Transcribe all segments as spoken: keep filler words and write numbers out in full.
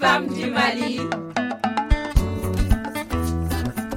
Fam di mali.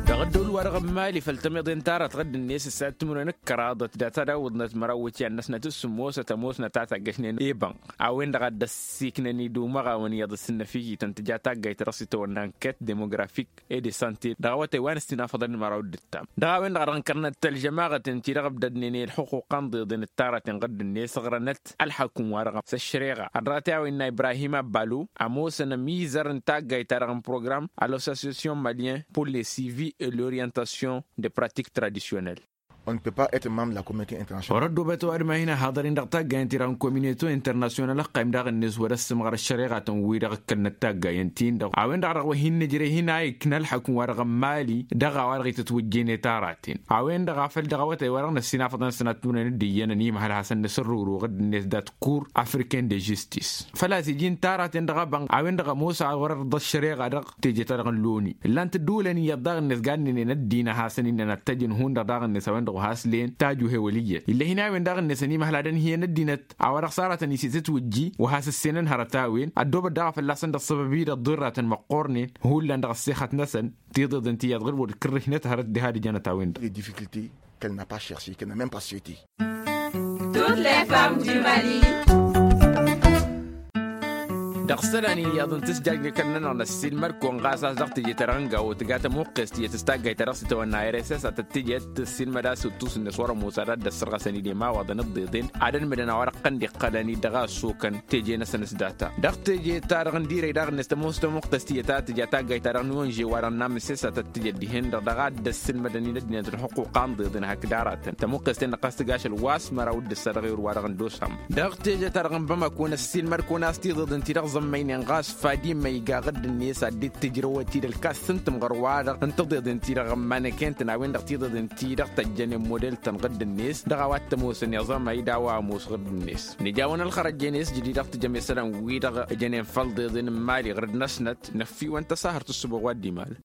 Dăɣ-ăddol wa-dăɣ n-mali făll-tămiḍe n-tara tɣădd-net s-ad-timǝrwen d-kăraḍăt dat-ad-awǝḍnăt măraw wǝtyan-năsnăt s-sǝmmosăt ămoosnăt a taggăšnen i-bănɣ a-wen-dăɣ a dd-ăssiiknăn idumăɣawăn iyyăḍ s-ǝnnăfijităn tǝja taggayt-ta-dăɣ s-itawănna n-kăt demografic e de sante dăɣ-awătay wa n-ăssinafăḍăn măraw d-ǝttam dăɣ-a-wen-dăɣ a dăɣ-nkărnăt tălžămaɣăt n-ti-dăɣ ǝbdădnen i-ălxuquqa n-iḍeḍen d-taratăn ɣǝdd-net ăɣrănăt ălḥăkkum-wa-dăɣ s-ăššăreɣa ărrăɣăt i-a-wa innă ibrahim abbalu ămoosăn ămizăr n-taggayt-ta-dăɣ n-program a l-association malien pour le suivi et l'orientation de pratique traditionnelle. Ɣur-ăddoobăt ăwadǝm a hin-ăhaḍăr-in dăɣ-taggayăn-ti-dăɣ n-komineto internasyonal ăqqayǝm daɣ-net wăr-ăssǝmɣăr ăššăreɣa tăn-wi-dăɣ ǝkkălnăt taggayen-ti-in-dăɣ a-wen-dăɣ a dăɣ-wăr hin-nǝjrăy hin-a ikna ălḥăkkum-wa-dăɣ n-mali dăɣ-a-wa-dăɣ itǝtwǝjjǝynet aratăn a-wen-dăɣ a făl dăɣ-awătay wa dăɣ-năssinafăḍăn sănatmǝrwen d-iyyăn ănimhăl hasăn-nǝsǝrrǝwrǝw ɣǝdd-net dat-kur africain de žistis făl-a-s iji n-taratăn dăɣ-abănɣ a-wen-dăɣ ămoos a wăr-ărḍa ăššăreɣa dăɣ-teje-ta-dăɣ n-loni ǝllan-t ădduulăn iyyăḍ daɣ-net ga ǝnnǝnen ăddin a hasăn-innăn ad-t-ăjǝn hundăɣ daɣ-net a-wen-dăɣ wa has-len tajuhe wăl' iyyăt ill'-e hin-a-wen daɣ-net ănimhăl ad-ănhǝyăn ăddinăt a-wa dăɣ-s aratăn isitǝtwǝjji wa has-ǝssenăn hărăt a-wen ăddoobăt daɣ a fălla-săn dăɣ-săbăb-i-dăɣ ḍirratăn măqqornen hullan dăɣ-ăssexăt-năsăn tiḍeḍen ti iyyăḍ ɣǝr-wăr d-kǝrrǝšnăt hărăt diha d-ǝjănăt a-wen-dăɣ. Qu'elle n'a pas cherché, qu'elle n'a même pas souhaité. Toutes les femmes du mali. Dăɣ-isălan iyyăḍ n-tǝsjajnăkăn-nănăɣ năssiilmăd-kăwăn ɣas a-s dăɣ-teje-ta-dăɣ n-gawo tǝga tămuqqest iyyăt s-taggayt-ta-dăɣ s-itawănna rss a tăt-tǝjăt tǝssiilmăd a-s uttus-net wăr-ămoos ad-dd-ăssărɣăsăn idem a-wa dăɣ-nǝḍḍeḍen ad-ănmǝdăn a-wa dăɣ-tăn-dd-iqqălăn-dd dăɣ-a ăssokăn teje-năsăn s-data dăɣ-teje-ta-dăɣ n-dirăy daɣ-net tămoos tămuqqest iyyăt a tǝja taggayt-ta-dăɣ n-onže wa dăɣ-namǝses a tăt-tǝjăt dihen-dăɣ dăɣ-a dd-ăssilmădăn-in ăddinăt n-ălxuquqa n-iḍeḍen hakd aratăn tămuqqest-en-dăɣ a-s tǝgaš ălwas măraw d-ǝssa dăɣ-erǝw wa dăɣ-nǝdosăm dăɣ-teje-ta-dăɣ n-bamako n-ăssiilmăd-kăwăn a-s tiḍeḍen-ti-dăɣ zămmăynen ɣas fadimăy iga ɣǝdd-net ad-dd-tǝjrăwăt-dd ălkas s-ǝntǝm ɣur-wa-dăɣ n-tiḍeḍen-ti-dăɣ n-manăken-tăn a-wen-dăɣ tiḍeḍen-ti-dăɣ tăjjănen model-tăn ɣǝdd-net dăɣ-a-wa t-ămoosăn iẓamay d-a-wa ămoos ɣǝdd-net nǝjawăn ălxărăjjen i-s jădid dăɣ-tǝjăm isălan-wi-dăɣ ǝjănen făll-iḍeḍen n-imali ɣǝrǝd-năsnăt năffiwăn tăsahărt ǝssǝboɣ wa dd-imalăn.